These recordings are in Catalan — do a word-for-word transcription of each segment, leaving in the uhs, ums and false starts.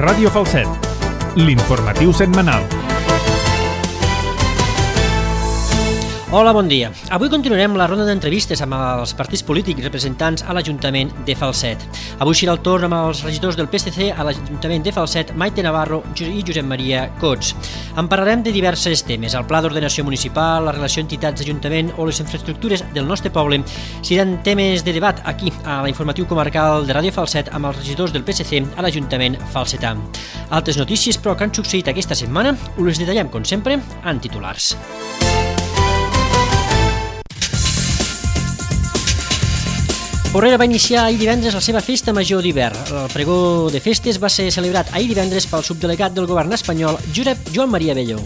Ràdio Falset, l'informatiu setmanal. Hola, bon dia. Avui continuarem la ronda d'entrevistes amb els partits polítics representants a l'Ajuntament de Falset. Avui serà el torn amb els regidors del P S C a l'Ajuntament de Falset, Maite Navarro i Josep Maria Cots. En parlarem de diversos temes, el pla d'ordenació municipal, la relació entitats-ajuntament o les infraestructures del nostre poble. Seran temes de debat aquí, a l'informatiu comarcal de Ràdio Falset, amb els regidors del P S C a l'Ajuntament falsetà. Altres notícies, però, que han succeït aquesta setmana, us les detallem, com sempre, en titulars. Porrera va iniciar ahir divendres la seva festa major d'hivern. El pregó de festes va ser celebrat ahir divendres pel subdelegat del govern espanyol, Josep Joan Maria Bello.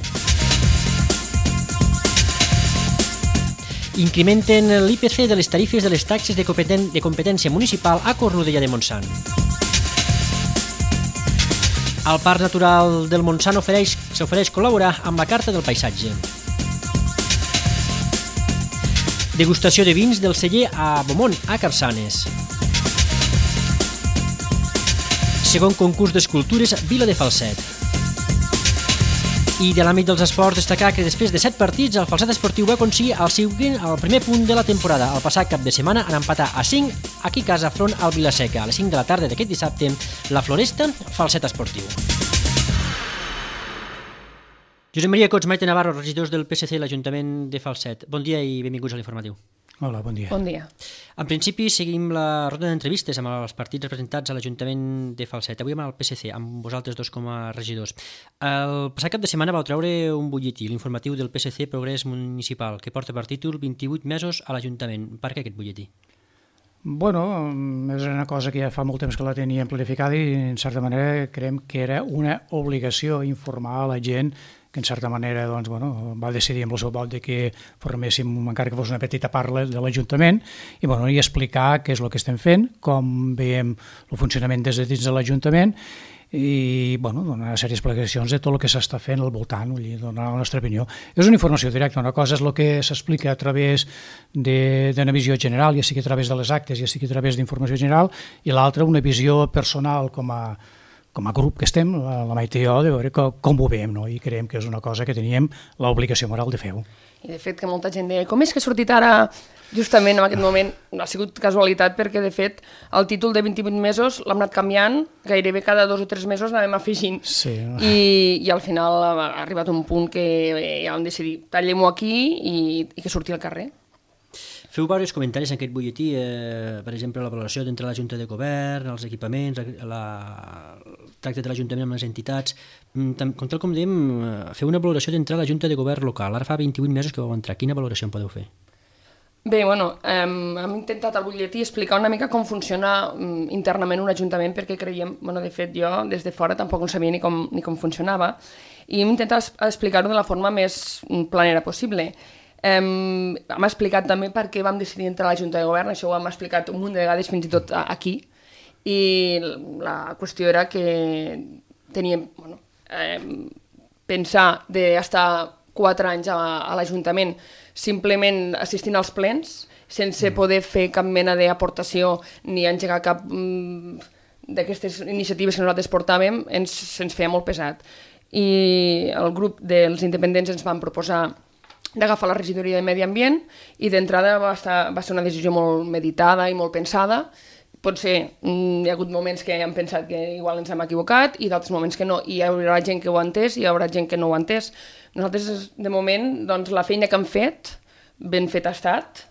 Incrementen l'I P C de les tarifes de les taxes de competen- de competència municipal a Cornudella de Montsant. El Parc Natural del Montsant ofereix, s'ofereix col·laborar amb la Carta del Paisatge. Degustació de vins del celler a Beaumont, a Capçanes. Segon concurs d'escultures, Vila de Falset. I de l'àmbit dels esports, destacar que després de set partits, el Falset Esportiu va aconseguir el, següent, el primer punt de la temporada. El passat cap de setmana en empatar a cinc aquí a casa front al Vilaseca. A les cinc de la tarda d'aquest dissabte, la Floresta, Falset Esportiu. Josep Maria Cots, Maite Navarro, regidors del P S C a l'Ajuntament de Falset. Bon dia i benvinguts a l'informatiu. Hola, bon dia. Bon dia. En principi, seguim la ronda d'entrevistes amb els partits representats a l'Ajuntament de Falset. Avui amb el P S C, amb vosaltres dos com a regidors. El passat cap de setmana vau treure un butlletí, l'informatiu del P S C Progrés Municipal, que porta per títol vint-i-vuit mesos a l'Ajuntament. Per què aquest butlletí? Bueno, és una cosa que ja fa molt temps que la teníem planificada i, en certa manera, creiem que era una obligació informar a la gent que en certa manera doncs, bueno, va decidir amb el seu vot de que forméssim, encara que fos una petita part de l'Ajuntament, i, bueno, i explicar què és el que estem fent, com veiem el funcionament des de dins de l'Ajuntament i, bueno, donar una sèrie d'explicacions de tot el que s'està fent al voltant, vull dir, donar la nostra opinió. És una informació directa, una cosa és el que s'explica a través d'una visió general, ja sigui a través de les actes, ja sigui a través d'informació general, i l'altra una visió personal com a com a grup que estem, la, la Maite i jo, de veure com, com ho veiem, no? I creiem que és una cosa que teníem l'obligació moral de fer-ho. I de fet que molta gent deia, com és que ha sortit ara justament en aquest moment? No ha sigut casualitat perquè de fet el títol de vint-i-vuit mesos l'hem anat canviant, gairebé cada dos o tres mesos anàvem afegint. Sí. I, i al final ha arribat un punt que ja vam decidir tallem-ho aquí i, i que surti al carrer. Feu diversos comentaris en aquest butlletí, eh, per exemple, la valoració d'entre la Junta de Govern, els equipaments, la, el tracte de l'Ajuntament amb les entitats. Com tal com dèiem, feu una valoració d'entrar a la Junta de Govern local. Ara fa vint-i-vuit mesos que vau entrar. Quina valoració en podeu fer? Bé, bueno, eh, hem intentat al butlletí explicar una mica com funciona um, internament un ajuntament, perquè creiem, bueno, de fet jo des de fora tampoc no sabia ni com, ni com funcionava, i hem intentat explicar-ho de la forma més planera possible. Um, hem explicat també per què vam decidir entrar a la Junta de Govern, això ho hem explicat un munt de vegades fins i tot aquí, i la qüestió era que teníem, bueno, um, pensar d'estar quatre anys a, a l'Ajuntament simplement assistint als plens, sense poder fer cap mena d'aportació ni engegar cap um, d'aquestes iniciatives que nosaltres portàvem, ens, ens feia molt pesat. I el grup dels independents ens van proposar d'agafar la regidoria de Medi Ambient i d'entrada va, estar, va ser una decisió molt meditada i molt pensada. Potser mm, hi ha hagut moments que hem pensat que igual ens hem equivocat i d'altres moments que no, i hi haurà gent que ho ha entès i hi haurà gent que no ho ha entès. Nosaltres, de moment, doncs, la feina que hem fet, ben fet ha estat,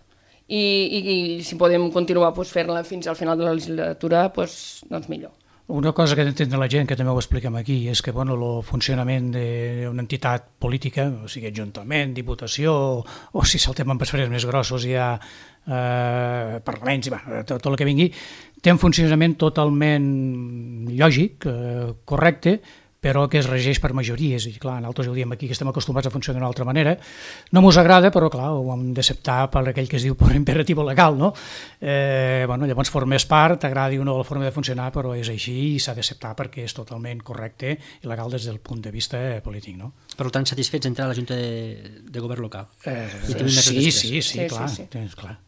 i, i, i si podem continuar doncs, fer-la fins al final de la legislatura, doncs, doncs millor. Una cosa que entén la gent, que també ho expliquem aquí, és que bueno, el funcionament d'una entitat política, o sigui, ajuntament, diputació, o, o si saltem en preferents més grossos hi ha eh, parlaments, i, va, tot, tot el que vingui, té un funcionament totalment lògic, eh, correcte, però que es regeix per majories, i clar, nosaltres ho diem aquí que estem acostumats a funcionar d'una altra manera, no mos agrada, però clar, ho hem d'acceptar per aquell que es diu per imperatiu legal, no? Eh, bueno, llavors formes part, t'agradi o no la forma de funcionar, però és així i s'ha d'acceptar perquè és totalment correcte i legal des del punt de vista polític, no? Per tant, satisfets d'entrar a la Junta de, de Govern local? Eh, sí, sí, sí, sí, clar, sí, sí. clar.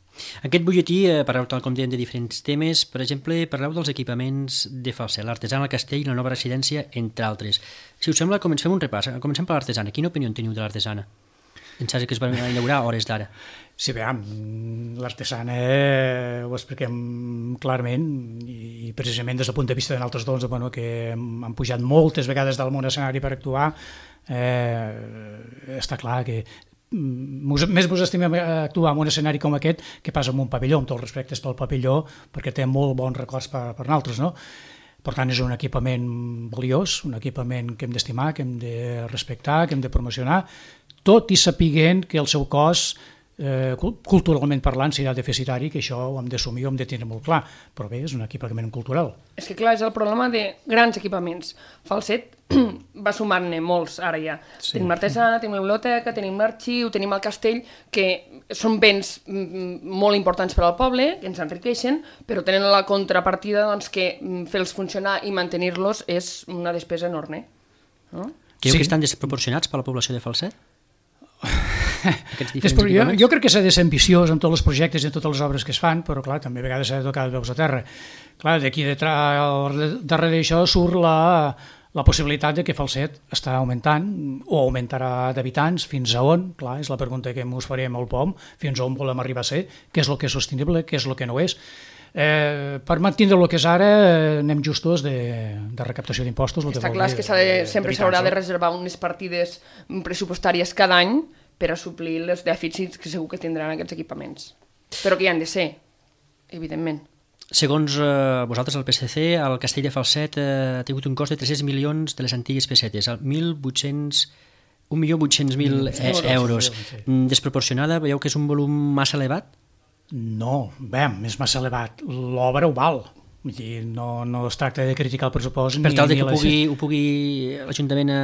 Aquest butlletí eh, parleu, tal com dèiem, de diferents temes. Per exemple, parleu dels equipaments de Falset, l'artesana, el castell, la nova residència, entre altres. Si us sembla, comencem un repàs. Comencem per l'artesana. Quina opinió teniu de l'artesana? Pensava que es va inaugurar a hores d'ara. Sí, bé, l'artesana eh, ho expliquem clarament i precisament des del punt de vista de nosaltres dos, bueno, que han pujat moltes vegades del món escenari per actuar, eh, està clar que Mos, més mos estimem actuar en un escenari com aquest que pas en un pavelló, amb tots els respectes pel pavelló, perquè té molt bons records per, per nosaltres, no? Per tant, és un equipament valiós, un equipament que hem d'estimar, que hem de respectar, que hem de promocionar, tot i sapiguent que el seu cost, eh, culturalment parlant, serà deficitari, que això ho hem d'assumir, ho hem de tenir molt clar, però bé, és un equipament cultural. És que clar, és el problema de grans equipaments. Falset va sumar-ne molts, ara ja. Sí. Tenim l'artesana, tenim la biblioteca, tenim l'arxiu, tenim el castell, que són béns molt importants per al poble, que ens enriqueixen, però tenen la contrapartida doncs, que fer-los funcionar i mantenir-los és una despesa enorme. No? Creu Sí. que estan desproporcionats per la població de Falset? Després, jo, jo crec que s'ha de ser ambiciós en tots els projectes i en totes les obres que es fan, però clar, també a vegades s'ha de tocar de veus a terra. Clar, d'aquí darrere d'això surt la, la possibilitat de que Falset està augmentant o augmentarà d'habitants, fins a on? Clar, és la pregunta que ens farem al P O M, fins a on volem arribar a ser, què és el que és sostenible, què és el que no és. Eh, per mantenir el que és ara eh, anem justos de, de recaptació d'impostos. Està clar que de, sempre s'haurà de reservar unes partides pressupostàries cada any per a suplir els dèficits que segur que tindran aquests equipaments. Però que hi han de ser, evidentment. Segons eh, vosaltres, el P S C, el castell de Falset eh, ha tingut un cost de tres-cents milions de les antigues pessetes, mil vuit-cents un milió vuit-cents mil euros. Desproporcionada, veieu que és un volum massa elevat? No, bé, és massa elevat. L'obra ho val. Vull dir, no, no es tracta de criticar el pressupost. Per tal de que la... ho pugui, ho pugui l'Ajuntament a...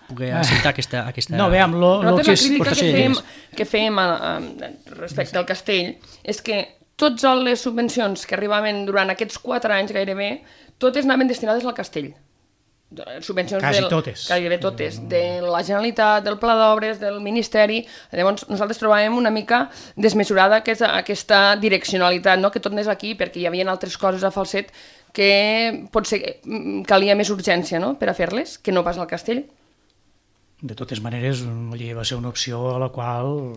poder acceptar aquesta, aquesta... No, veiem, lo, lo que és... la crítica que fèiem, que fèiem a, a, respecte al castell és que totes les subvencions que arribaven durant aquests quatre anys gairebé, totes anaven destinades al castell. Subvencions Quasi del, totes. Gairebé totes. De la Generalitat, del Pla d'Obres, del Ministeri. Llavors nosaltres trobàvem una mica desmesurada aquesta, aquesta direccionalitat, no? Que tot anés aquí, perquè hi havia altres coses a Falset que potser calia més urgència, no? Per a fer-les, que no pas al castell. De totes maneres, va ser una opció a la qual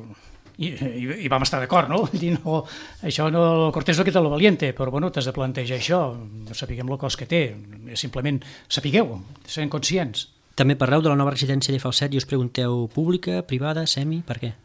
i, i, i vam estar d'acord, no? Dir, no? Això no, el cortés no quita lo valiente, però bueno, t'has de plantejar això, no sapiguem el cost que té, simplement sapigueu, siguem conscients. També parleu de la nova residència de Falset i us pregunteu pública, privada, semi, per què?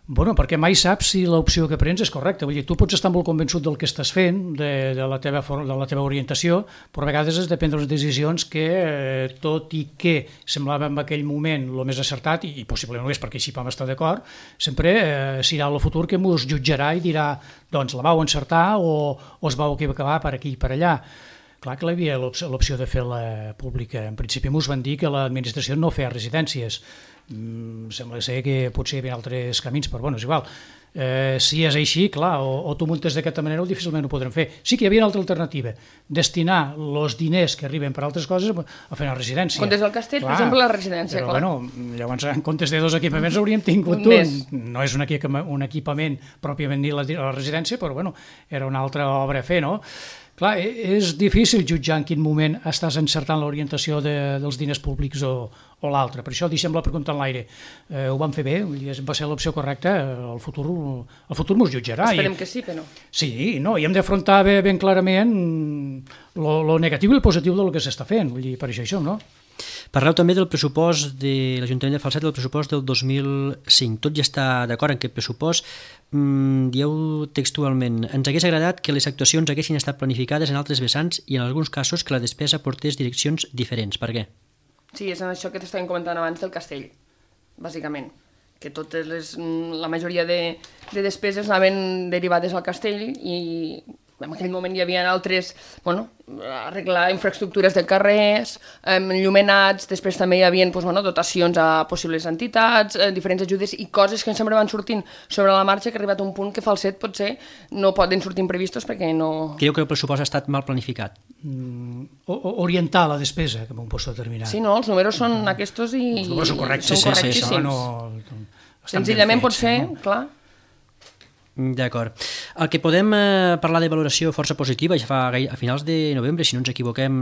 Bueno, perquè mai saps si l'opció que prens és correcta. Vull dir, tu pots estar molt convençut del que estàs fent, de, de, la, teva, de la teva orientació, però a vegades has de prendre les decisions que, eh, tot i que semblava en aquell moment el més acertat, i, i possiblement no és perquè així vam estar d'acord, sempre eh, serà el futur que ens jutjarà i dirà, doncs la vau encertar o, o es vau equivocar per aquí i per allà. Clar que hi havia l'opció de fer-la pública. En principi ens van dir que l'administració no feia residències. Mm, sembla ser que potser hi havia altres camins, però bueno, és igual. Eh, si és així, clar, o, o tu muntes d'aquesta manera o difícilment ho podrem fer. Sí que hi havia una altra alternativa, destinar els diners que arriben per altres coses a fer una residència. Comptes del castell, clar, per exemple, la residència. Però, clar. Bueno, llavors, en comptes de dos equipaments hauríem tingut un. un. No és un, un equipament pròpiament dit la, la residència, però bueno, era una altra obra a fer, no? Clar, és difícil jutjar en quin moment estàs encertant l'orientació de, dels diners públics o, o l'altre. Per això deixem la pregunta en l'aire. Eh, ho vam fer bé, va ser l'opció correcta, el futur, el futur mos jutjarà. Esperem I, que sí, però no. Sí, no, i hem d'afrontar ben, ben clarament lo negatiu i el positiu del que s'està fent. Vull dir, per això això, no? Parleu també del pressupost de l'Ajuntament de Falset, del pressupost del dos mil cinc. Tot ja està d'acord en aquest pressupost. Mm, dieu textualment, ens hagués agradat que les actuacions haguessin estat planificades en altres vessants i en alguns casos que la despesa portés direccions diferents. Per què? Sí, és això que t'estàvem comentant abans del castell, bàsicament. Que totes les, la majoria de, de despeses anaven derivades al castell i en aquell moment hi havia altres, bueno, arreglar infraestructures de carrers, enllumenats, després també hi havia doncs, bueno, dotacions a possibles entitats, eh, diferents ajudes i coses que sempre van sortint sobre la marxa, que ha arribat a un punt que Falset potser no poden sortir imprevistos perquè no... Creieu que el pressupost ha estat mal planificat? Mm, orientar la despesa, que m'ho pots determinar. Sí, no, els números són aquests i... Els números són correctes. Són sí, correctíssims. Sí, sí, no, senzillament pot ser, clar... D'acord. El que podem eh, parlar de valoració força positiva, ja fa a finals de novembre, si no ens equivoquem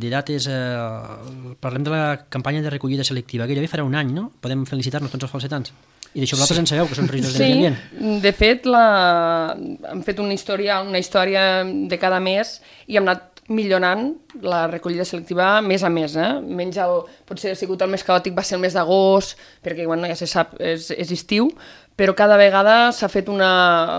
de dates, eh, parlem de la campanya de recollida selectiva, gairebé farà un any, no? Podem felicitar-nos tots els falsetans. I d'això vosaltres sí. en sabeu, que són regidors sí, de Medi Ambient. Sí, de fet, la... hem fet una història, una història de cada mes i hem anat millorant la recollida selectiva mes a mes. Eh? Menys el, potser ha sigut el més caòtic, va ser el mes d'agost, perquè bueno, ja se sap, és, és estiu, però cada vegada s'ha fet una,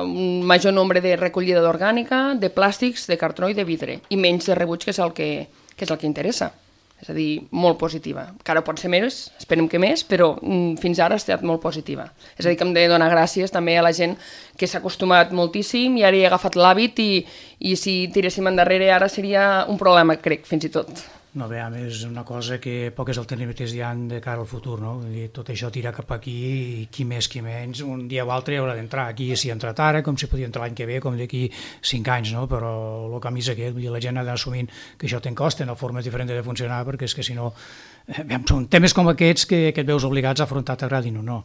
un major nombre de recollida d'orgànica, de plàstics, de cartró i de vidre, i menys de rebuig, que és el que, que, és el que interessa. És a dir, molt positiva. Encara pot ser més, esperem que més, però mm, fins ara ha estat molt positiva. És a dir, que hem de donar gràcies també a la gent que s'ha acostumat moltíssim i ara hi ha agafat l'hàbit i, i si tiréssim endarrere ara seria un problema, crec, fins i tot. No, bé, a més, una cosa que poques alternatives hi ha de cara al futur, no? Vull dir, tot això tira cap aquí i qui més, qui menys, un dia o altre haurà d'entrar. Aquí s'hi ha entrat ara, com si podia entrar l'any que ve, com d'aquí cinc anys, no? Però el camí és aquest, vull dir, la gent ha d'anar assumint que això té en cost, té una forma diferent de funcionar, perquè és que si no, eh, són temes com aquests que, que et veus obligats a afrontar, t'agradin o no.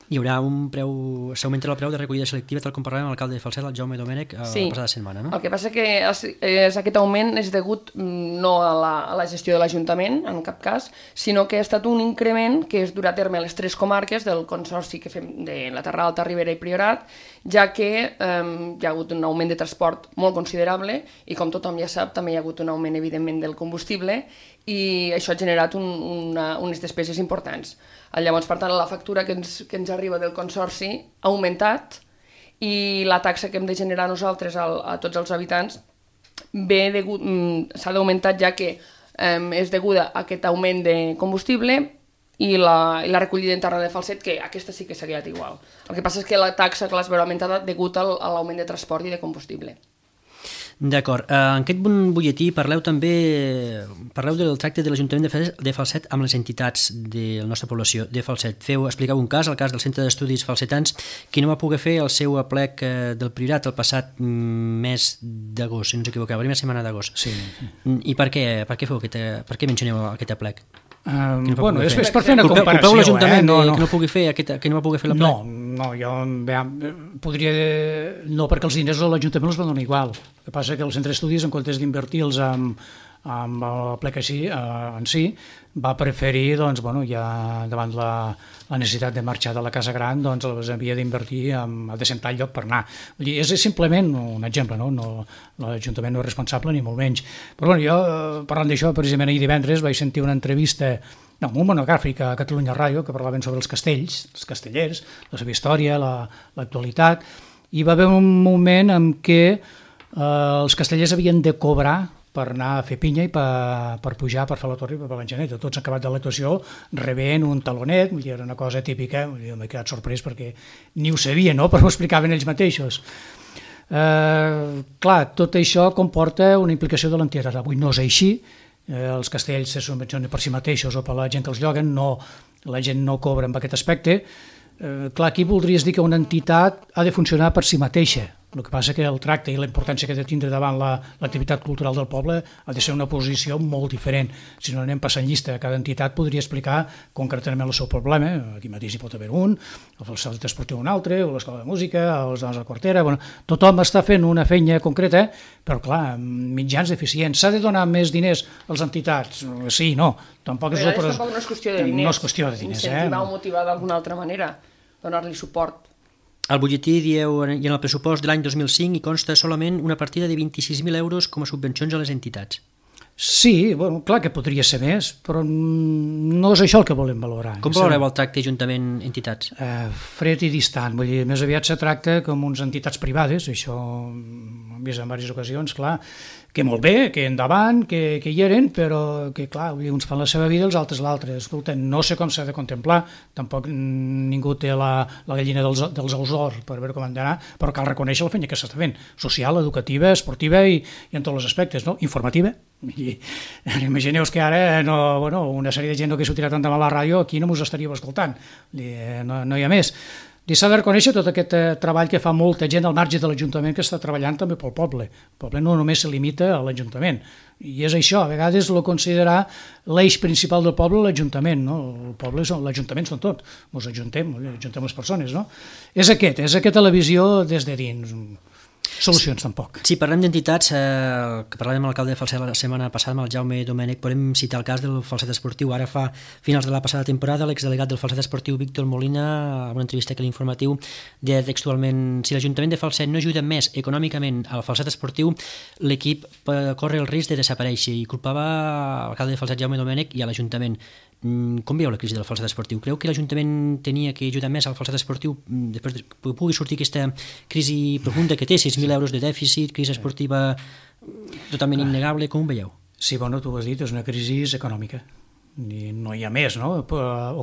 Hi haurà un preu, s'augmentarà el preu de recollida selectiva, tal com parlàvem amb l'alcalde de Falset, el Jaume Domènech, sí. la passada setmana, no? El que passa que és, és, aquest augment és degut no a la, a la gestió de l'Ajuntament, en cap cas, sinó que ha estat un increment que es durà a terme a les tres comarques del consorci que fem de la Terra Alta, Ribera i Priorat, ja que eh, hi ha hagut un augment de transport molt considerable i, com tothom ja sap, també hi ha hagut un augment, evidentment, del combustible i això ha generat un, una, unes despeses importants. Llavors, per tant, la factura que ens, que ens arriba del consorci ha augmentat i la taxa que hem de generar nosaltres a, a tots els habitants s'ha d'augmentar, ja que eh, és deguda a aquest augment de combustible i la, i la recollida interna de Falset, que aquesta sí que s'ha quedat igual. El que passa és que la taxa que l'has veure aumentada degut al, a l'augment de transport i de combustible. D'acord. En aquest butlletí parleu també parleu del tracte de l'Ajuntament de Falset amb les entitats de la nostra població de Falset. Feu, explicau un cas, el cas del Centre d'Estudis Falsetans, que no va poder fer el seu aplec del Priorat el passat mes d'agost, si no ens equivoquem, la primera setmana d'agost. Sí. I per què, per què, feu aquest, per què mencioneu aquest aplec? Um, no bueno, és, és per fer una culpeu, comparació. Culpeu l'Ajuntament eh? no, no. que, no pugui fer aquest, que no va poder fer la plec? No, no, jo bé, podria... No, perquè els diners de l'Ajuntament els van donar igual. El que passa que el Centre d'Estudis, en comptes d'invertir-los amb, amb el plec així, eh, en si, va preferir, doncs, bueno, ja davant la, la necessitat de marxar de la casa gran, doncs els havia d'invertir a decentar el lloc per anar. Vull dir, és simplement un exemple, no? no l'Ajuntament no és responsable ni molt menys. Però bueno, jo, parlant d'això, precisament ahir divendres vaig sentir una entrevista, no, un monogràfic a Catalunya Ràdio, que parlaven sobre els castells, els castellers, la seva història, l'actualitat, i va haver un moment en què eh, els castellers havien de cobrar per anar a fer pinya i per, per pujar, per fer la torre i per l'engeneta. Tots han acabat de l'actuació rebent un talonet, vull dir, era una cosa típica, m'he quedat sorprès perquè ni ho sabia, no? Però ho explicaven ells mateixos. Eh, clar, tot això comporta una implicació de l'entitat. Avui no és així, eh, els castells se subvencionen per si mateixos o per la gent que els lloguen, no, la gent no cobra amb aquest aspecte. Eh, clar, aquí voldries dir que una entitat ha de funcionar per si mateixa. El que passa que el tracte i la importància que ha de tindre davant l'activitat la, cultural del poble ha de ser una posició molt diferent. Si no anem passant llista, cada entitat podria explicar concretament el seu problema. Aquí mateix hi pot haver un, el centre esportiu un altre, o l'escola de música, o els dones de la quartera. Bueno, tothom està fent una feina concreta, però clar, mitjans deficients. S'ha de donar més diners a les entitats? Sí, no. Tampoc és, però tampoc no és qüestió de diners. No és qüestió de diners. Incentivar eh? o motivar d'alguna altra manera, donar-li suport. Al butlletí dieu, i en el pressupost de l'any dos mil cinc hi consta solament una partida de vint-i-sis mil euros com a subvencions a les entitats. Sí, bueno, clar que podria ser més, però no és això el que volem valorar. Com valoreu el tracte Ajuntament-entitats? Eh, fred i distant, vull dir, més aviat se tracta com uns entitats privades, això hem vist en diverses ocasions, clar, que molt bé, que endavant, que, que hi eren, però que, clar, uns fan la seva vida i els altres l'altra. Escolta, no sé com s'ha de contemplar, tampoc ningú té la, la gallina dels, dels ous d'or per veure com han d'anar, però cal reconèixer la feina que s'està fent, social, educativa, esportiva i, i en tots els aspectes, no? Informativa. I, imagineu-vos que ara no, bueno, una sèrie de gent que s'ho tira tant de mal a la ràdio aquí no mos estaríeu escoltant, no, no hi ha més. I s'ha de reconèixer tot aquest eh, treball que fa molta gent al marge de l'Ajuntament que està treballant també pel poble. El poble no només se limita a l'Ajuntament. I és això, a vegades lo considerar l'eix principal del poble l'Ajuntament, no? El poble, l'Ajuntament són tot, ens ajuntem, ajuntem les persones, no? És aquest, és aquesta la visió des de dins. Solucions tampoc. Si parlem d'entitats, eh, que parlàvem amb l'alcalde de Falset la setmana passada, amb el Jaume Domènech, podem citar el cas del Falset Esportiu. Ara fa finals de la passada temporada, l'exdelegat del Falset Esportiu, Víctor Molina, en una entrevista que l'informatiu deia textualment: si l'Ajuntament de Falset no ajuda més econòmicament al Falset Esportiu, l'equip corre el risc de desaparèixer, i culpava l'alcalde de Falset, Jaume Domènech, i a l'Ajuntament. Com veieu la crisi del Falset Esportiu? Creu que l'Ajuntament tenia que ajudar més al Falset Esportiu després que pugui sortir aquesta crisi profunda que té, sis mil euros de dèficit, crisi esportiva totalment innegable? Com ho veieu? Sí, bueno, tu ho has dit, és una crisi econòmica. I no hi ha més, no?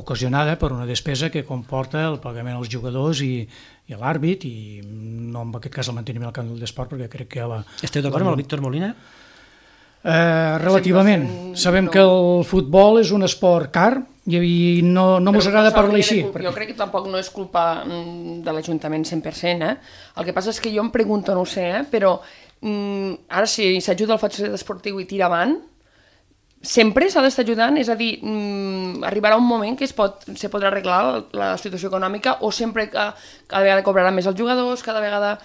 Ocasionada per una despesa que comporta el pagament als jugadors i, i a l'àrbit, i no en aquest cas el manteniment al camp d'esport, perquè crec que la... Esteu d'acord amb el Víctor Molina? Eh, relativament. Sabem que el futbol és un esport car i no, no mos agrada parlar així. Jo crec que tampoc no és culpa de l'Ajuntament cent per cent. Eh? El que passa és que jo em pregunto, no ho sé, eh? però mm, ara si s'ajuda el Falset Esportiu i tira avant, sempre s'ha d'estar ajudant, és a dir, mm, arribarà un moment que es, pot, se podrà arreglar la situació econòmica, o sempre que cada vegada cobraran més els jugadors, cada vegada...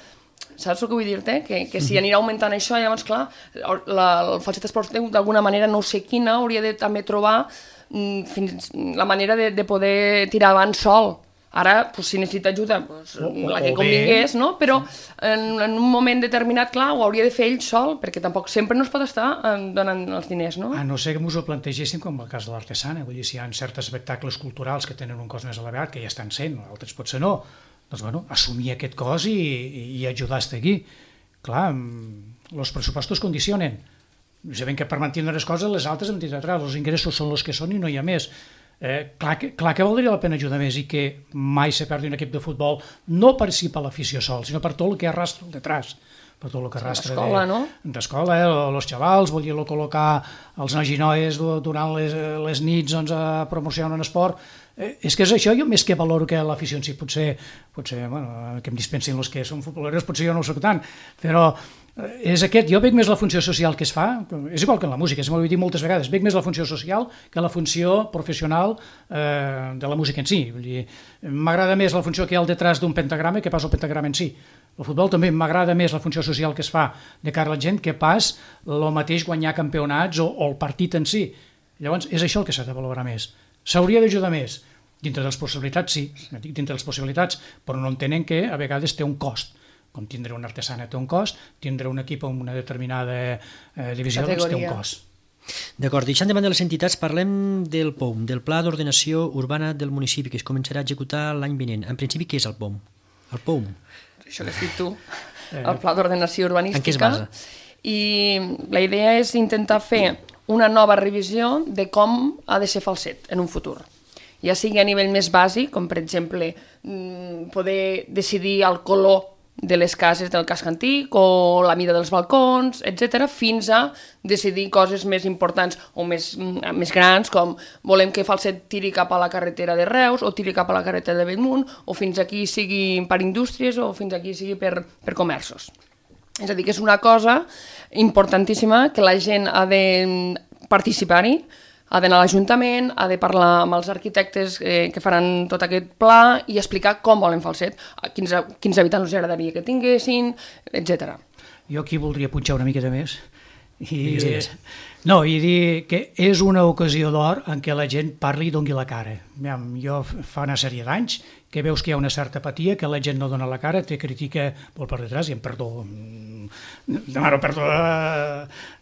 Saps el que vull dir-te? Que, que si anirà augmentant això, llavors, clar, la, el Falset Esportiu d'alguna manera, no sé quina, hauria de també trobar mm, fins, la manera de, de poder tirar avant sol. Ara, pues, si necessita ajuda, pues, o, la que convingués, no? Però en, en un moment determinat, clar, ho hauria de fer ell sol, perquè tampoc sempre no es pot estar donant els diners, no? A no ser que ens ho plantegéssim com el cas de l'Artesana, vull dir, si hi ha certs espectacles culturals que tenen un cost més elevat, que ja estan sent, altres potser no, doncs, bueno, assumir aquest cost i, i ajudar a estar aquí. Clar, els pressupostos condicionen. Sabem que per mantenir les coses, les altres hem dit atrás, els ingressos són els que són i no hi ha més. Eh, clar, que, clar que valdria la pena ajudar més i que mai se perdi un equip de futbol, no per si per l'afició sol, sinó per tot el que arrastra el detrás, per tot el que arrastra d'escola, no? D'escola, eh, els xavals, volia col·locar els nois i noies durant les, les nits doncs, a promocionar un esport. Eh, és que és això, jo més que valoro que l'afició en si, potser, potser bueno, que em dispensin els que són futboleros, potser jo no ho soc tant, però és aquest, jo veig més la funció social que es fa, és igual que en la música, m'ho he dit moltes vegades, veig més la funció social que la funció professional eh, de la música en si. Vull dir, m'agrada més la funció que hi ha al detrás d'un pentagrama que pas el pentagrama en si. El futbol també m'agrada més la funció social que es fa de cara a la gent que pas el mateix guanyar campionats o, o el partit en si. Llavors, és això el que s'ha de valorar més. S'hauria d'ajudar més. Dintre de les possibilitats, sí, dintre de les possibilitats, però no entenen que a vegades té un cost. Com tindre una artesana té un cost, tindre un equip amb una determinada eh, divisió doncs té un cost. D'acord, deixant de banda les entitats, parlem del P O U M, del Pla d'Ordenació Urbana del municipi, que es començarà a executar l'any vinent. En principi, què és el P O U M? El P O U M. Això que has dit tu, el Pla d'Ordenació Urbanística. En què es basa? I la idea és intentar fer una nova revisió de com ha de ser Falset en un futur. Ja sigui a nivell més bàsic, com per exemple poder decidir el color de les cases del casc antic o la mida dels balcons, etcètera, fins a decidir coses més importants o més, més grans, com volem que Falset tiri cap a la carretera de Reus o tiri cap a la carretera de Bellmunt, o fins aquí sigui per indústries o fins aquí sigui per, per comerços. És a dir, que és una cosa importantíssima que la gent ha de participar-hi, ha d'anar a l'Ajuntament, ha de parlar amb els arquitectes eh, que faran tot aquest pla i explicar com volen Falset, quins, quins habitants els agradaria que tinguessin, etcètera. Jo aquí voldria punxar una miqueta més i, no, i dir que és una ocasió d'or en què la gent parli i doni la cara. Jo fa una sèrie d'anys que veus que hi ha una certa apatia, que la gent no dona la cara, te critica molt per detrás, i em perdó, demano perdó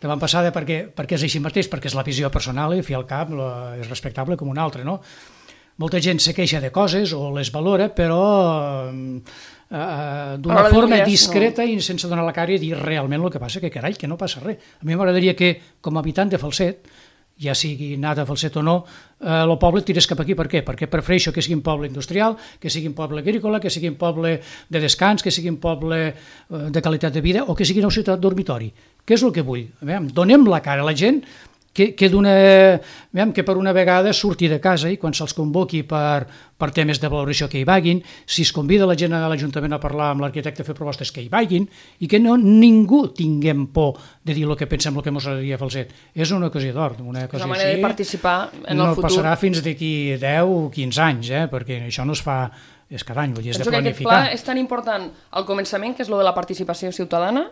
davant passada perquè, perquè és així mateix, perquè és la visió personal i fi al cap és respectable com una altra, no? Molta gent se queixa de coses o les valora, però eh, d'una forma discreta i sense donar la cara i dir realment el que passa, que carai, que no passa res. A mi m'agradaria que, com a habitant de Falset, ja sigui anat a Falset o no, eh, el poble tirés cap aquí. Per què? Perquè prefereixo que sigui un poble industrial, que sigui un poble agrícola, que sigui un poble de descans, que sigui un poble eh, de qualitat de vida o que sigui una ciutat dormitori. Què és el que vull? A veure, donem la cara a la gent que, que, que per una vegada surti de casa i quan se'ls convoqui per, per temes de valoració que hi vagin, si es convida la gent a l'Ajuntament a parlar amb l'arquitecte a fer propostes que hi vagin i que no ningú tinguem por de dir el que pensem, el que ens agradaria a Falset. És una ocasió d'or. Una ocasió una manera així, de participar en el no futur. No passarà fins d'aquí deu o quinze anys, eh? Perquè això no es fa és cada any, vull dir, és Penso de planificar. Penso que aquest pla és tan important al començament, que és lo de la participació ciutadana,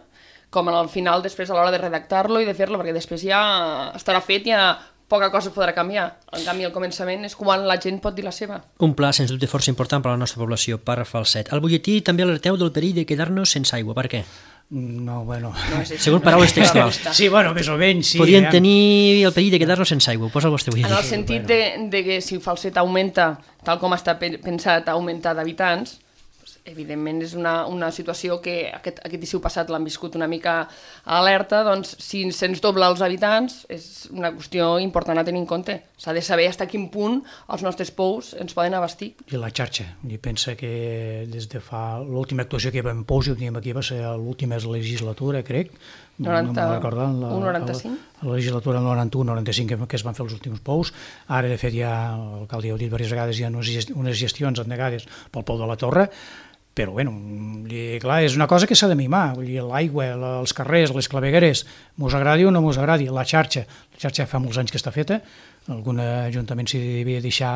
com al final, després, a l'hora de redactar-lo i de fer-lo, perquè després ja estarà fet, ja poca cosa podrà canviar. En canvi, al començament és quan la gent pot dir la seva. Un pla, sens dubte, força important per a la nostra població, per Falset. Al butlletí també alerteu del perill de quedar-nos sense aigua. Per què? No, bueno... No és Segons paraules textuals. Sí, bueno, més o menys, sí. Podien eh? tenir el perill de quedar-nos sense aigua. Posa el vostre butlletí. En el sentit de, de que si Falset augmenta, tal com està pensat, augmentar d'habitants, evidentment és una, una situació que aquest, aquest estiu passat l'han viscut una mica alerta, doncs si se'ns dobla els habitants és una qüestió important a tenir en compte. S'ha de saber fins a quin punt els nostres pous ens poden abastir. I la xarxa. I pensa que des de fa... L'última actuació que hi va en pous, i ho teníem aquí, va ser l'última legislatura, crec. noranta, no me'n recordo. La, un noranta-cinc? La, la legislatura noranta-u noranta-cinc que, que es van fer els últims pous. Ara, de fet, ja l'alcalde ja ho ha dit diverses vegades, hi ha unes gestions endegades pel pou de la Torre, però, bueno, clar, és una cosa que s'ha de mimar. L'aigua, els carrers, les clavegueres, mos agradi o no mos agradi. La xarxa, la xarxa fa molts anys que està feta, algun ajuntament s'hi devia deixar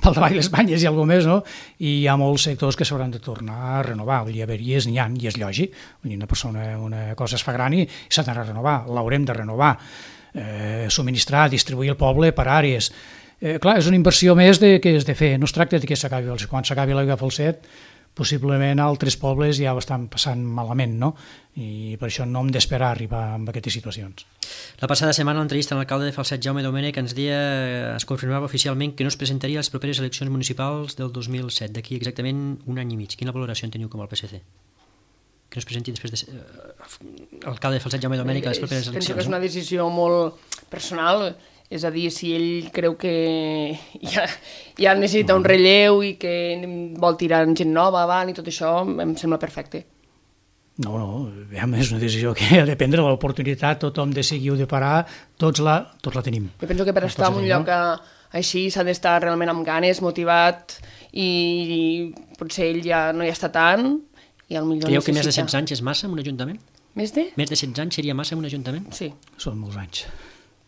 pel davall les banyes i alguna més, no? I hi ha molts sectors que s'hauran de tornar a renovar. Vull dir, averies n'hi ha, i és lògic. Vull dir, una persona, una cosa es fa gran i s'ha d'anar a renovar, l'haurem de renovar. Eh, subministrar, distribuir el poble per àrees. Eh, clar, és una inversió més de, que és de fer. No es tracta de que s'acabi, quan s'acabi l'aigua a Falset, possiblement altres pobles ja ho estan passant malament, no? I per això no hem d'esperar arribar a aquestes situacions. La passada setmana l'entrevista amb l'alcalde de Falset, Jaume Domènech, ens deia, es confirmava oficialment que no es presentaria a les properes eleccions municipals del dos mil set, d'aquí exactament un any i mig. Quina valoració en teniu com al P S C? Que no es presenti després de... L'alcalde de Falset, Jaume Domènech, a les properes eleccions. Penso que és una decisió molt personal. És a dir, si ell creu que ja, ja necessita un relleu i que vol tirar gent nova avant i tot això, em sembla perfecte. No, no, és una decisió que ha de prendre l'oportunitat, tothom de seguir o de parar, tots la, tots la tenim. Jo penso que per estar en un lloc així s'ha d'estar realment amb ganes, motivat, i potser ell ja no hi està tant, i potser Creieu que necessita... més de setze anys és massa en un ajuntament? Més de? Més de setze anys seria massa en un ajuntament? Sí. Són molts anys.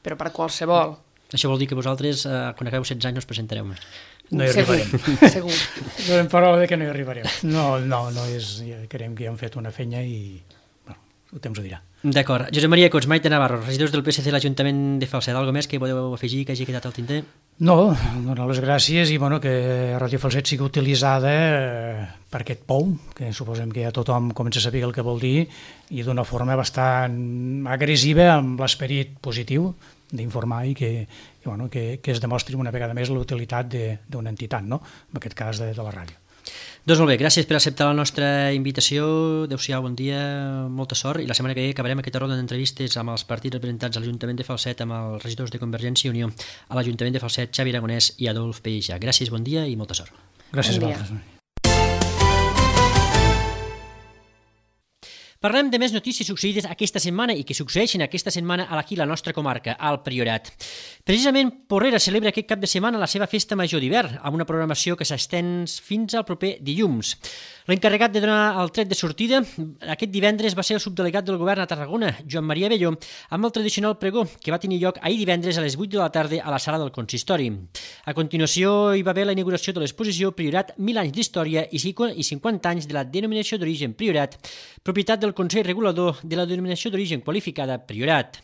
Però per qualsevol. Això vol dir que vosaltres, eh, quan acabeu setze anys, no us presentareu més. No hi Segur, arribarem. segur. Donem paraula de que no hi arribarem. No, no, no és... Ja creiem que ja hem fet una feina i... Bueno, el temps ho dirà. D'acord. Josep Maria Cots, Maite Navarro, regidors del P S C de l'Ajuntament de Falset. Algo més que podeu afegir que hagi quedat al tinter? No, donar les gràcies i bueno, que Ràdio Falset sigui utilitzada eh, per aquest pou, que suposem que ja tothom comença a saber el que vol dir, i d'una forma bastant agressiva, amb l'esperit positiu d'informar i que, que, bueno, que, que es demostri una vegada més l'utilitat d'una entitat, no? En aquest cas de, de la ràdio. Doncs molt bé, gràcies per acceptar la nostra invitació. Adéu-siau, bon dia, molta sort, i la setmana que ve acabarem aquesta ronda d'entrevistes amb els partits representats a l'Ajuntament de Falset, amb els regidors de Convergència i Unió a l'Ajuntament de Falset, Xavi Aragonès i Adolf Peïja. Gràcies, bon dia i molta sort. Gràcies bon a vosaltres. Parlem de més notícies succeïdes aquesta setmana i que succeeixen aquesta setmana aquí a la nostra comarca, al Priorat. Precisament Porrera celebra aquest cap de setmana la seva festa major d'hivern, amb una programació que s'estén fins al proper dilluns. L'encarregat de donar el tret de sortida aquest divendres va ser el subdelegat del govern a Tarragona, Joan Maria Belló, amb el tradicional pregó que va tenir lloc ahir divendres a les vuit de la tarda a la sala del consistori. A continuació hi va haver la inauguració de l'exposició Priorat, mil anys d'història i cinquanta anys de la denominació d'origen Priorat, propietat del Consell Regulador de la denominació d'origen qualificada Priorat.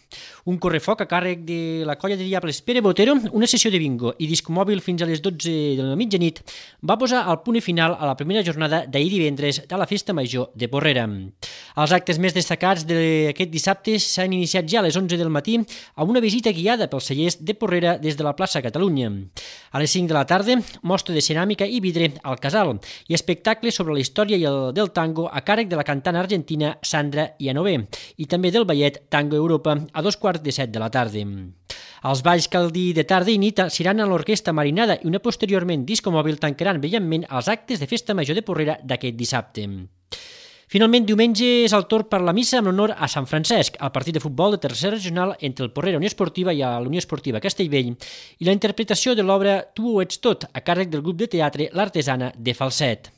Un correfoc a càrrec de la colla de diables Pere Botero, una sessió de bingo i disc mòbil fins a les dotze de la mitjanit va posar el punt final a la primera jornada d'ahir divendres de la Festa Major de Porrera. Els actes més destacats d'aquest dissabte s'han iniciat ja a les onze del matí amb una visita guiada pels cellers de Porrera des de la plaça Catalunya. A les cinc de la tarda, mostra de ceràmica i vidre al Casal i espectacle sobre la història i el del tango a càrrec de la cantant argentina Sandra Ianové i també del ballet Tango Europa a dos quarts de set de la tarda. Els balls caldí de tarda i nit seran a l'Orquestra Marinada i una posteriorment disco mòbil tancaran brillantment els actes de Festa Major de Porrera d'aquest dissabte. Finalment, diumenge és el torn per la missa en honor a Sant Francesc, el partit de futbol de tercera regional entre el Porrera Unió Esportiva i la Unió Esportiva Castellvell, i la interpretació de l'obra Tu ho ets tot, a càrrec del grup de teatre L'Artesana de Falset.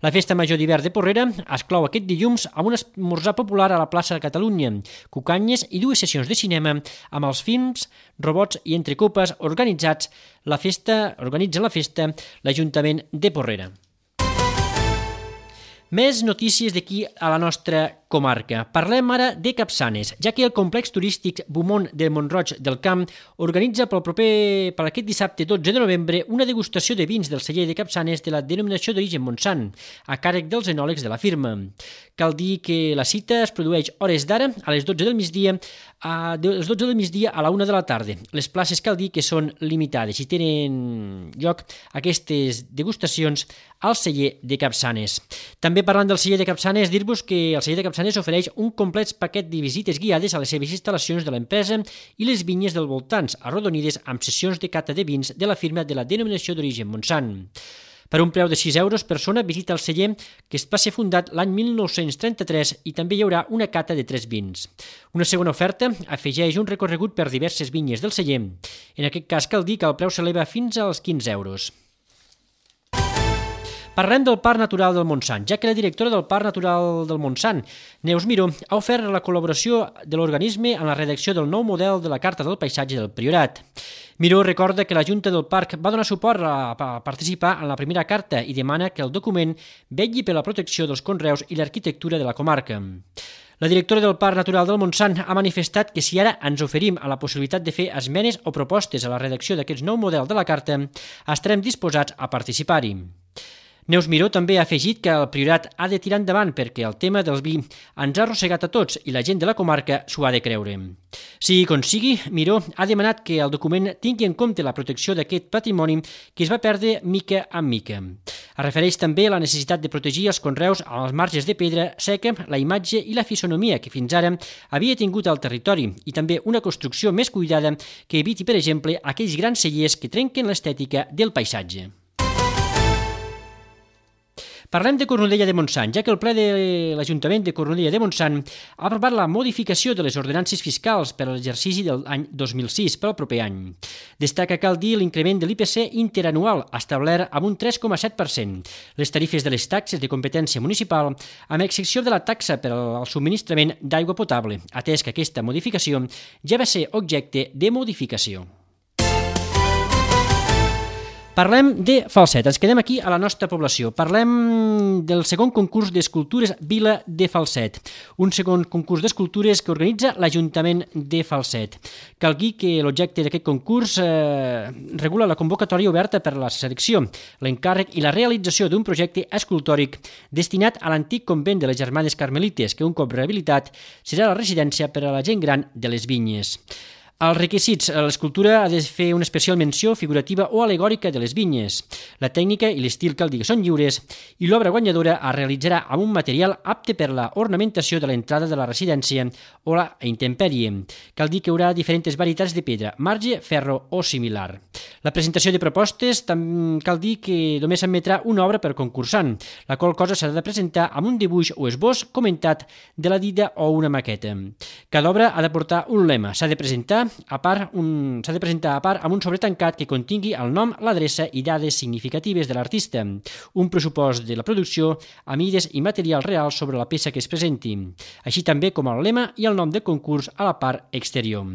La festa major d'hivern de Porrera es clou aquest dilluns amb un esmorzar popular a la plaça de Catalunya, cucanyes i dues sessions de cinema amb els films, robots i entrecopes organitzats la festa, organitza la festa l'Ajuntament de Porrera. Més notícies d'aquí a la nostra comarca. Parlem ara de Capçanes, ja que el complex turístic Beaumont de Mont-roig del Camp organitza pel proper, per aquest dissabte dotze de novembre una degustació de vins del celler de Capçanes de la denominació d'origen Montsant, a càrrec dels enòlegs de la firma. Cal dir que la cita es produeix hores d'ara, a les dotze del migdia, a les dotze del migdia a la una de la tarda. Les places cal dir que són limitades i tenen lloc aquestes degustacions al celler de Capçanes. També parlant del celler de Capçanes, dir-vos que el celler de Capçanes ofereix un complet paquet de visites guiades a les seves instal·lacions de l'empresa i les vinyes dels voltants, arrodonides amb sessions de cata de vins de la firma de la denominació d'origen Montsant. Per un preu de sis euros persona visita el celler, que va ser fundat l'any mil nou-cents trenta-tres, i també hi haurà una cata de tres vins. Una segona oferta afegeix un recorregut per diverses vinyes del celler. En aquest cas cal dir que el preu s'eleva fins als quinze euros. Parlem del Parc Natural del Montsant, ja que la directora del Parc Natural del Montsant, Neus Miró, ha ofert la col·laboració de l'organisme en la redacció del nou model de la Carta del Paisatge del Priorat. Miró recorda que la Junta del Parc va donar suport a participar en la primera carta i demana que el document vetlli per la protecció dels conreus i l'arquitectura de la comarca. La directora del Parc Natural del Montsant ha manifestat que si ara ens oferim a la possibilitat de fer esmenes o propostes a la redacció d'aquest nou model de la carta, estarem disposats a participar-hi. Neus Miró també ha afegit que el Priorat ha de tirar endavant perquè el tema del vi ens ha arrossegat a tots i la gent de la comarca s'ho ha de creure. Sigui com sigui, Miró ha demanat que el document tingui en compte la protecció d'aquest patrimoni que es va perdre mica en mica. Es refereix també a la necessitat de protegir els conreus amb els marges de pedra seca, la imatge i la fisonomia que fins ara havia tingut al territori i també una construcció més cuidada que eviti, per exemple, aquells grans cellers que trenquen l'estètica del paisatge. Parlem de Cornudella de Montsant, ja que el ple de l'Ajuntament de Cornudella de Montsant ha aprovat la modificació de les ordenances fiscals per a l'exercici de l'any dos mil sis per al proper any. Destaca, cal dir, l'increment de l'I P C interanual establert amb un tres coma set per cent, les tarifes de les taxes de competència municipal, amb excepció de la taxa per al subministrament d'aigua potable, atès que aquesta modificació ja va ser objecte de modificació. Parlem de Falset, ens quedem aquí a la nostra població. Parlem del segon concurs d'escultures Vila de Falset, un segon concurs d'escultures que organitza l'Ajuntament de Falset. Cal dir que l'objecte d'aquest concurs eh, regula la convocatòria oberta per a la selecció, l'encàrrec i la realització d'un projecte escultòric destinat a l'antic convent de les Germanes Carmelites, que un cop rehabilitat serà la residència per a la gent gran de les Vinyes. Els requisits: l'escultura ha de fer una especial menció figurativa o alegòrica de les vinyes. La tècnica i l'estil cal dir que són lliures i l'obra guanyadora es realitzarà amb un material apte per la ornamentació de l'entrada de la residència o la intempèrie. Cal dir que hi haurà diferents varietats de pedra, marge, ferro o similar. La presentació de propostes cal dir que només s'admetrà una obra per concursant, la qual cosa s'ha de presentar amb un dibuix o esbós comentat de la dida o una maqueta. Cada obra ha de portar un lema, s'ha de presentar a part un, s'ha de presentar a part amb un sobre tancat que contingui el nom, l'adreça i dades significatives de l'artista, un pressupost de la producció a mides i material real sobre la peça que es presenti, així també com el lema i el nom del concurs a la part exterior.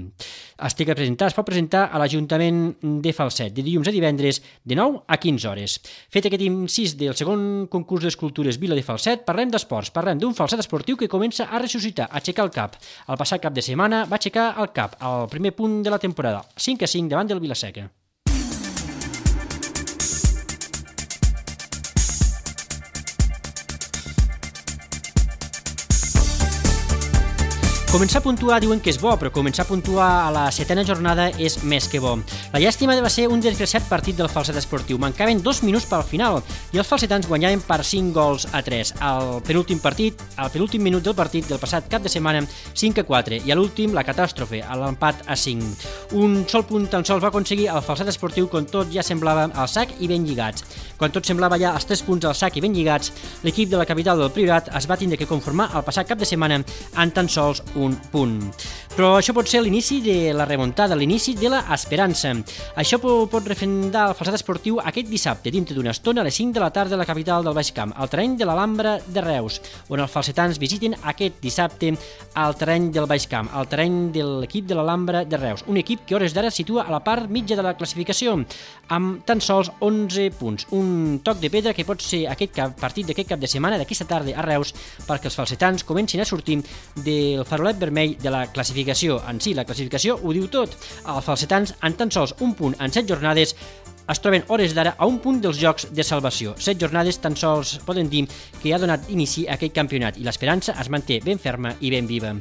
Es té que presentar, es pot presentar a l'Ajuntament de Falset de dilluns a divendres de nou a quinze hores. Fet aquest incís del segon concurs d'escultures Vila de Falset, parlem d'esports, parlem d'un Falset esportiu que comença a ressuscitar, a aixecar el cap. El passat cap de setmana va aixecar el cap al primer punt de la temporada, cinc a cinc davant del Vilaseca. Començar a puntuar diuen que és bo, però començar a puntuar a la setena jornada és més que bo. La llàstima va ser un desgraciat partit del Falset Esportiu. Mancaven dos minuts pel final i els falsetans guanyaven per cinc gols a tres. Al penúltim partit, al penúltim minut del partit del passat cap de setmana, cinc a quatre, i a l'últim la catàstrofe, a l'empat a cinc. Un sol punt tan sols va aconseguir el Falset Esportiu quan tot ja semblava al sac i ben lligats. Quan tot semblava ja els tres punts al sac i ben lligats, l'equip de la capital del Priorat es va tindre que conformar el passat cap de setmana en tan sols un punt. Però això pot ser l'inici de la remuntada, l'inici de l'esperança. Això pot refrendar el Falset Esportiu aquest dissabte, dintre d'una estona, a les cinc de la tarda a la capital del Baix Camp, al terreny de l'Alhambra de Reus, on els falsetans visiten aquest dissabte al terreny del Baix Camp, al terreny de l'equip de l'Alhambra de Reus, un equip que a hores d'ara situa a la part mitja de la classificació, amb tan sols onze punts. Un toc de pedra que pot ser aquest cap, partit d'aquest cap de setmana, d'aquesta tarda a Reus, perquè els falsetans comencin a sortir del farolet vermell de la classificació. En si, la classificació ho diu tot. Els falsetans, en tan sols un punt en set jornades, es troben hores d'ara a un punt dels jocs de salvació. Set jornades tan sols poden dir que ha donat inici a aquest campionat i l'esperança es manté ben ferma i ben viva.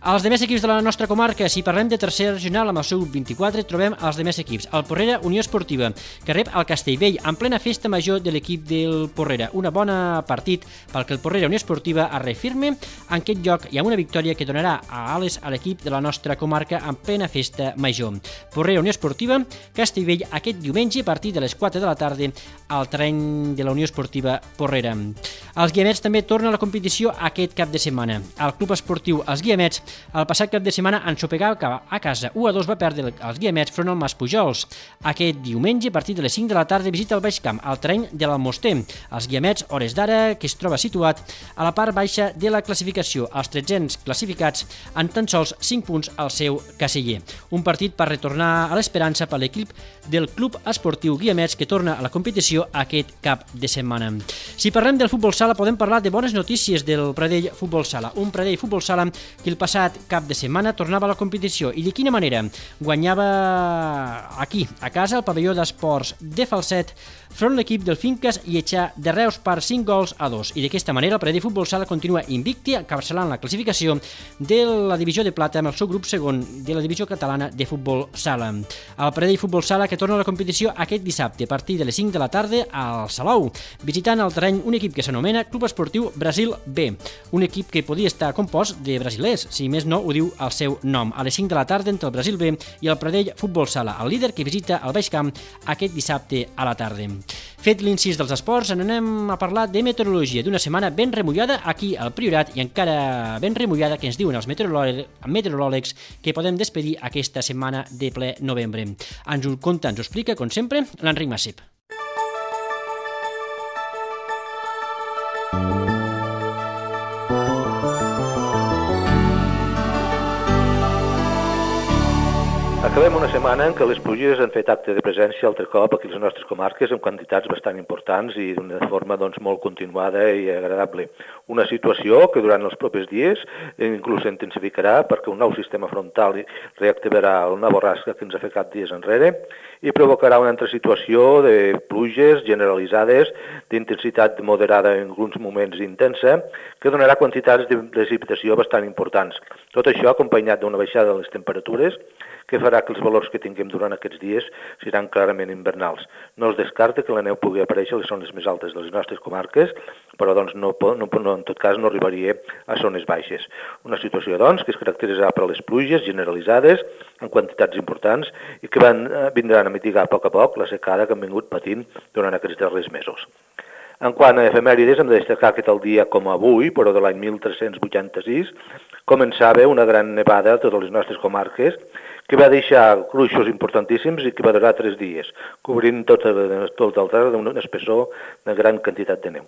Els demés equips de la nostra comarca, si parlem de tercera regional amb el seu vint-i-quatre, trobem els demés equips. El Porrera Unió Esportiva, que rep el Castellvell en plena festa major de l'equip del Porrera. Una bona partit perquè el Porrera Unió Esportiva es refirme en aquest lloc i amb una victòria que donarà a ales a l'equip de la nostra comarca en plena festa major. Porrera Unió Esportiva, Castellvell, aquest diumenge a partir de les quatre de la tarda al terreny de la Unió Esportiva Porrera. Els Guiamets també tornen a la competició aquest cap de setmana. El Club Esportiu Els Guiamets el passat cap de setmana ensopegava a casa u a dos va perdre els Guiamets front al Mas Pujols. Aquest diumenge, a partir de les cinc de la tarda, visita el Baix Camp, al terreny de l'Almoster. Els Guiamets, hores d'ara, que es troba situat a la part baixa de la classificació. Els tretzens classificats en tan sols cinc punts al seu caseller. Un partit per retornar a l'esperança per l'equip del Club Esportiu Guiamets, que torna a la competició aquest cap de setmana. Si parlem del futbol sala, podem parlar de bones notícies del Pradell Futbol Sala. Un Pradell Futbol Sala que el passat cap de setmana tornava a la competició. I de quina manera? Guanyava aquí, a casa, el pavelló d'esports de Falset, front l'equip del Finques i Etxà de Reus per cinc gols a dos. I d'aquesta manera el Pradell Futbol Sala continua invicti, encapçalant la classificació de la divisió de plata amb el seu grup segon de la divisió catalana de futbol sala. El Pradell Futbol Sala que torna a la competició aquest dissabte a partir de les cinc de la tarda al Salou, visitant el terreny un equip que s'anomena Club Esportiu Brasil B, un equip que podia estar compost de brasilers, si més no ho diu el seu nom, a les cinc de la tarda entre el Brasil B i el Pradell Futbol Sala, el líder que visita el Baix Camp aquest dissabte a la tarda. Fet l'incís dels esports, en anem a parlar de meteorologia, d'una setmana ben remullada aquí al Priorat i encara ben remullada que ens diuen els meteoròlegs que podem despedir aquesta setmana de ple novembre. Ens ho conta, ens ho explica, com sempre, l'Enric Massip. Acabem una setmana en què les pluges han fet acte de presència altre cop aquí a les nostres comarques amb quantitats bastant importants i d'una forma doncs, molt continuada i agradable. Una situació que durant els propers dies inclús s'intensificarà perquè un nou sistema frontal reactivarà una borrasca que ens ha fet cap dies enrere i provocarà una altra situació de pluges generalitzades d'intensitat moderada en alguns moments intensa que donarà quantitats de precipitació bastant importants. Tot això acompanyat d'una baixada de les temperatures que farà que els valors que tinguem durant aquests dies seran clarament invernals. No es descarta que la neu pugui aparèixer a les zones més altes de les nostres comarques, però doncs, no, no, no, en tot cas no arribaria a zones baixes. Una situació doncs, que es caracteritzarà per les pluges generalitzades en quantitats importants i que van, vindran a mitigar a poc a poc la secada que han vingut patint durant aquests darrers mesos. En quant a efemèrides, hem de destacar que tal dia com avui, però de l'any mil tres-cents vuitanta-sis, començava una gran nevada a totes les nostres comarques que va deixar gruixos importantíssims i que va durar tres dies, cobrint tot el, tot el terra d'un espessor de gran quantitat de neu.